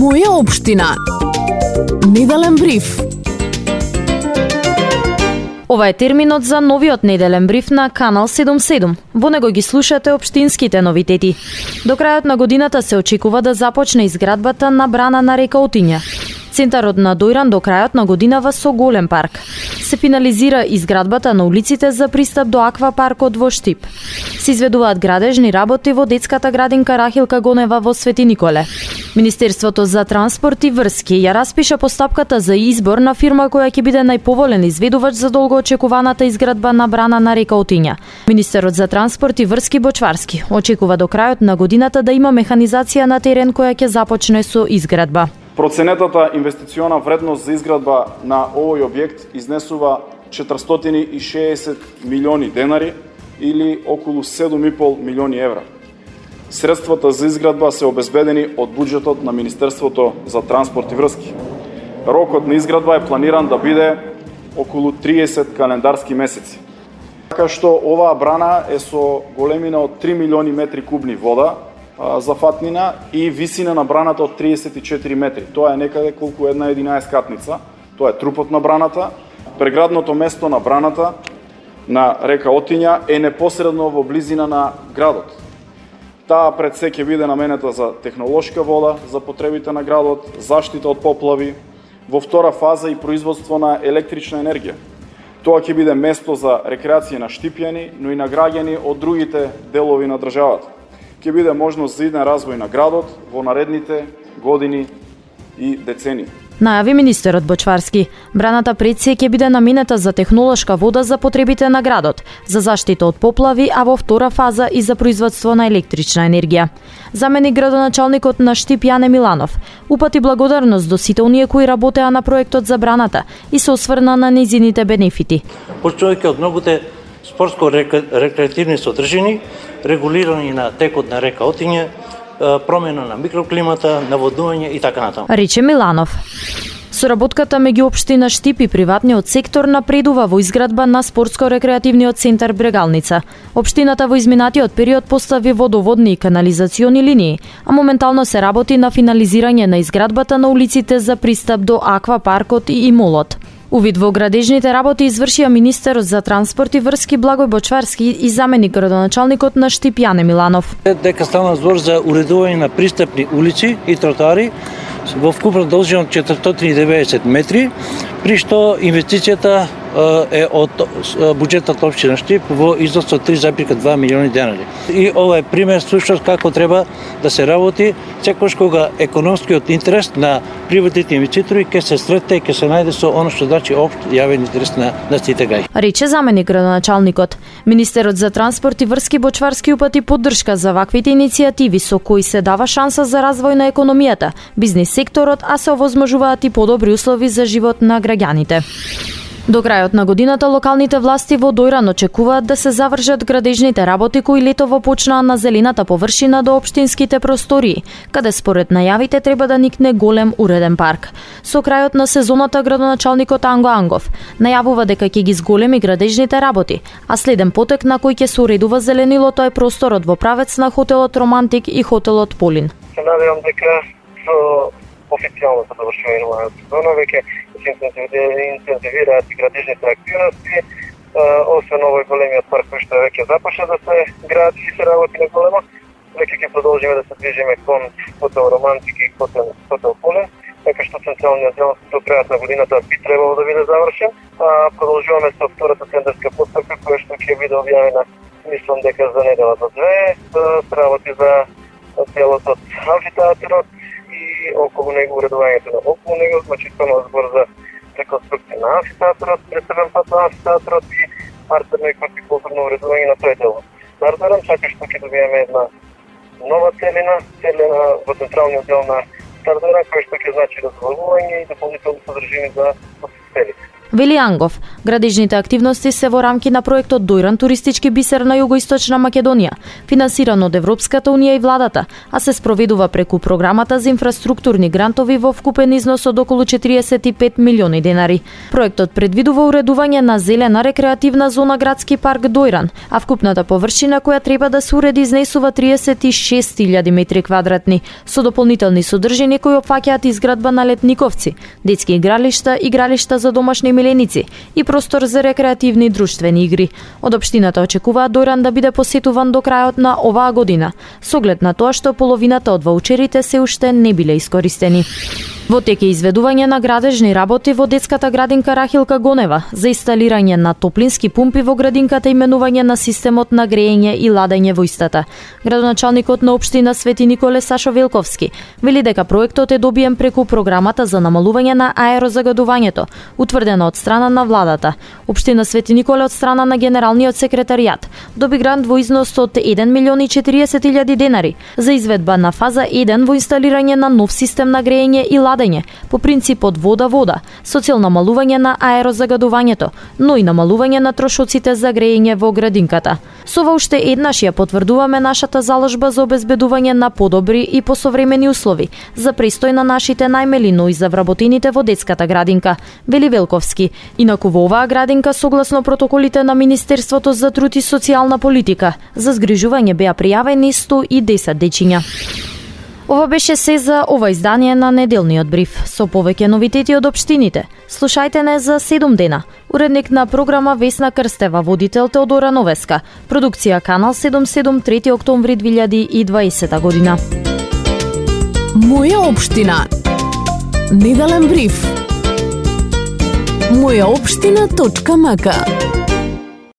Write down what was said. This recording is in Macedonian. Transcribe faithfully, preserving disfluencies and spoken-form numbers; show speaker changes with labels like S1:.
S1: Моја општина. Неделен бриф. Ова е терминот за новиот неделен бриф на Канал седумдесет и седум. Во него ги слушате општинските новитети. До крајот на годината се очекува да започне изградбата на брана на река Отиња. Центарот на Дојран до крајот на годинава со голем парк. Се финализира изградбата на улиците за пристап до аквапаркот во Штип. Се изведуваат градежни работи во детската градинка Рахилка Гонева во Свети Николе. Министерството за транспорт и врски ја распиша постапката за избор на фирма која ќе биде најповолен изведувач за долгоочекуваната изградба на брана на река Отиња. Министерот за транспорт и врски Бочварски очекува до крајот на годината да има механизација на терен која ќе започне со изградба.
S2: Проценетата инвестициона вредност за изградба на овој објект изнесува четиристотини и шеесет милиони денари или околу седум и пол милиони евра. Средствата за изградба се обезбедени од буџетот на Министерството за транспорт и врски. Рокот на изградба е планиран да биде околу триесет календарски месеци. Така што оваа брана е со големина од три милиони метри кубни вода за фатнина и висина на браната од триесет и четири метри. Тоа е некаде колку една единаесеткатница. Тоа е трупот на браната. Преградното место на браната на река Отиња е непосредно во близина на градот. Таа пред се ќе биде наменета за технолошка вода за потребите на градот, заштита од поплави, во втора фаза и производство на електрична енергија. Тоа ќе биде место за рекреација на штипјани, но и на граѓани од другите делови на државата. Ќе биде можност за иден развој на градот во наредните години и децени.
S1: Најави министерот Бочварски. Браната пред се ќе биде наменета за технолошка вода за потребите на градот, за заштита од поплави, а во втора фаза и за производство на електрична енергија. Заменик градоначалникот на Штип Јане Миланов упати благодарност до сите оние кои работеа на проектот за браната и се осврна на незините бенефити.
S3: Почнувајќи од многуте спортско-рекреативни содржини, регулирање на текот на река Отиња, промена на микроклимата, наводнување и така натаму.
S1: Рече Миланов. Соработката меѓу општина Штип и приватниот сектор напредува во изградба на спортско-рекреативниот центар Брегалница. Општината во изминатиот период постави водоводни и канализациони линии, а моментално се работи на финализирање на изградбата на улиците за пристап до аквапаркот и молот. Увид во градежните работи извршија министерот за транспорт и врски Благој Бочварски и заменик градоначалникот на Штип Јане Миланов.
S3: Дека стана збор за уредување на пристапни улици и тротоари во вкупна должина од четиристотини и деветдесет метри, при што инвестицијата е од буџетот општина Штип во износ од три зарез и две милиони денари. И ова е пример всушност како треба да се работи секогаш кога економскиот интерес на приватните инвеститори ќе се сретне и ќе се најде со оно што значи општ јавен интерес на, на сите гај.
S1: Рече заменик градоначалникот. Министерот за транспорт и врски Бочварски упати поддршка за ваквите иницијативи со кои се дава шанса за развој на економијата, бизнис секторот, а се овозможуваат и подобри услови за живот на граѓаните. До крајот на годината локалните власти во Дојран очекуваат да се завршат градежните работи кои летово почнаа на зелената површина до општинските простории, каде според најавите треба да никне голем уреден парк. Со крајот на сезоната градоначалникот Анго Ангов најавува дека ќе ги зголеми градежните работи, а следен потек на кој ќе се уредува зеленилото е просторот во правец на хотелот Романтик и хотелот Полин.
S4: Се надевам дека со официјалното завршување на сезона веќе се интензивираат и градежните активности, освен овој големиот парк кој што веќе започна да се гради и се работи на големо, веќе ќе продолжиме да се движиме кон хотел Романтик и хотел, хотел Полин, така што централниот дел до крајот на годината би требало да биде завршен, а продолжуваме со втората тендерска постапка која што ќе биде објавена, мислам дека за недела до две, се работи за делот од амфитеатрот и околу него уредувањето на околу него, значи станува збор за реконструкција на амфитеатрот, пресебен пат на амфитеатрот и партерно и хортикултурно уредување на тој дел. Нардарам, така што ќе добиеме една нова целина, целина во централниот дел на Стардара, која што ќе значи разволување и дополнителни содржини за посетителите.
S1: Вели Ангов, градежните активности се во рамки на проектот Дојран туристички бисер на југоисточна Македонија, финансиран од Европската унија и владата, а се спроведува преку програмата за инфраструктурни грантови во вкупен износ од околу четириесет и пет милиони денари. Проектот предвидува уредување на зелена рекреативна зона градски парк Дојран, а вкупната површина која треба да се уреди изнесува триесет и шест илјади метри квадратни, со дополнителни содржини кои опфаќаат изградба на летниковци, детски игралишта, игралишта за домашни миленици и простор за рекреативни и друштвени игри. Од општината очекуваат Дојран да биде посетуван до крајот на оваа година, со оглед на тоа што половината од ваучерите се уште не биле искористени. Во тек е изведување на градежни работи во детската градинка Рахилка Гонева за инсталирање на топлински пумпи во градинката и менување на системот на грејење и ладење во истата. Градоначалникот на општина Свети Николе Сашо Велковски вели дека проектот е добиен преку програмата за намалување на аерозагадувањето, утврдена од страна на владата. Општина Свети Николе од страна на генералниот секретаријат доби грант во износ од еден милион и четириесет илјади денари за изведба на фаза еден во инсталирање на нов систем на грејење и ладење по принципот вода-вода, со цел намалување на аерозагадувањето, но и намалување на трошоците за грејење во градинката. Со ова уште еднаш ја потврдуваме нашата заложба за обезбедување на подобри и посовремени услови за престој на нашите најмели, но и за вработените во детската градинка, вели Велковски. Инаку во оваа градинка, согласно протоколите на Министерството за труд и социјална политика, за згрижување беа пријавени сто и десет дечиња. Ова беше се за ова издание на неделниот бриф. Со повеќе новитети од општините. Слушајте не за седум дена. Уредник на програма Весна Крстева, водител Теодора Новеска. Продукција Канал седумдесет и седум, трети октомври две илјади и дваесета година.
S5: Моја општина. Неделен бриф. моја општина точка м к